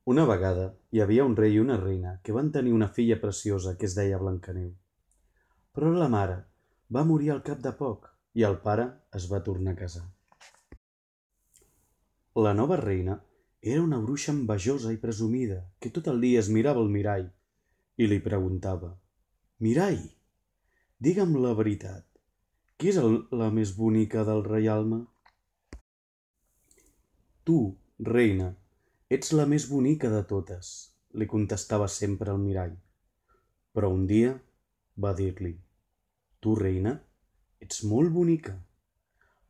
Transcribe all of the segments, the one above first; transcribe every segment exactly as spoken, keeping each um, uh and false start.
Una vegada hi havia un rei i una reina que van tenir una filla preciosa que es deia Blancaneu. Però la mare va morir al cap de poc i el pare es va tornar a casar. La nova reina era una bruixa envejosa i presumida que tot el dia es mirava al mirall i li preguntava: «Mirall, digue'm la veritat, qui és el, la més bonica del reialme?» «Tu, reina, ets la més bonica de totes», li contestava sempre el mirall. Però un dia va dir-li: «Tu, reina, ets molt bonica,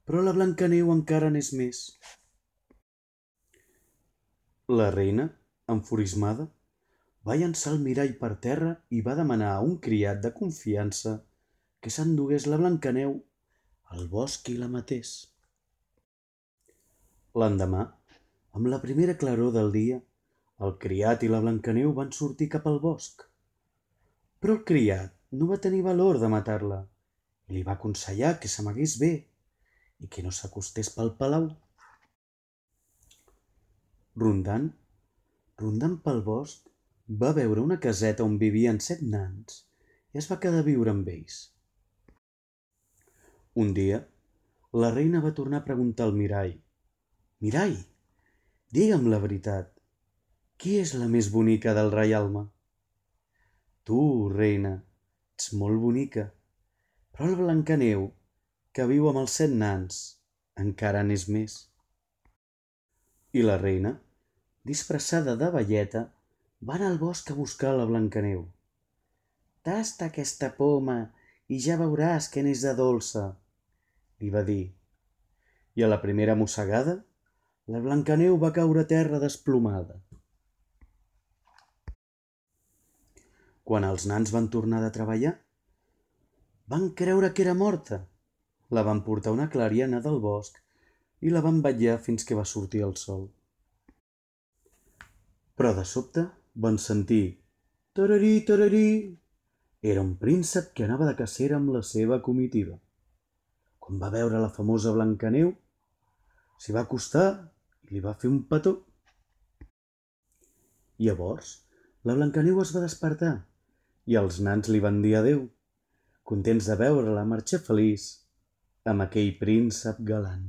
però la Blancaneu encara n'és més». La reina, enfurismada, va llançar el mirall per terra i va demanar a un criat de confiança que s'endugués la Blancaneu al bosc i la matés. L'endemà, amb la primera claror del dia, el criat i la Blancaneu van sortir cap al bosc. Però el criat no va tenir valor de matar-la i li va aconsellar que s'amagués bé i que no s'acostés pel palau. Rondant, rondant pel bosc, va veure una caseta on vivien set nans i es va quedar a viure amb ells. Un dia, la reina va tornar a preguntar al mirall: «Mirall, digue'm la veritat, qui és la més bonica del reialme?» «Tu, reina, ets molt bonica, però la Blancaneu, que viu amb els set nans, encara n'és més». I la reina, disfressada de velleta, va anar al bosc a buscar la Blancaneu. «Tasta aquesta poma i ja veuràs que n'és de dolça», li va dir. I a la primera mossegada, la Blancaneu va caure a terra desplomada. Quan els nans van tornar de treballar, van creure que era morta. La van portar a una clariana del bosc i la van vetllar fins que va sortir el sol. Però de sobte van sentir «tararí, tararí». Era un príncep que anava de cacera amb la seva comitiva. Quan va veure la famosa Blancaneu, s'hi va acostar i li va fer un petó. Llavors, la Blancaneu es va despertar i els nans li van dir adéu, contents de veure-la marxar feliç amb aquell príncep galant.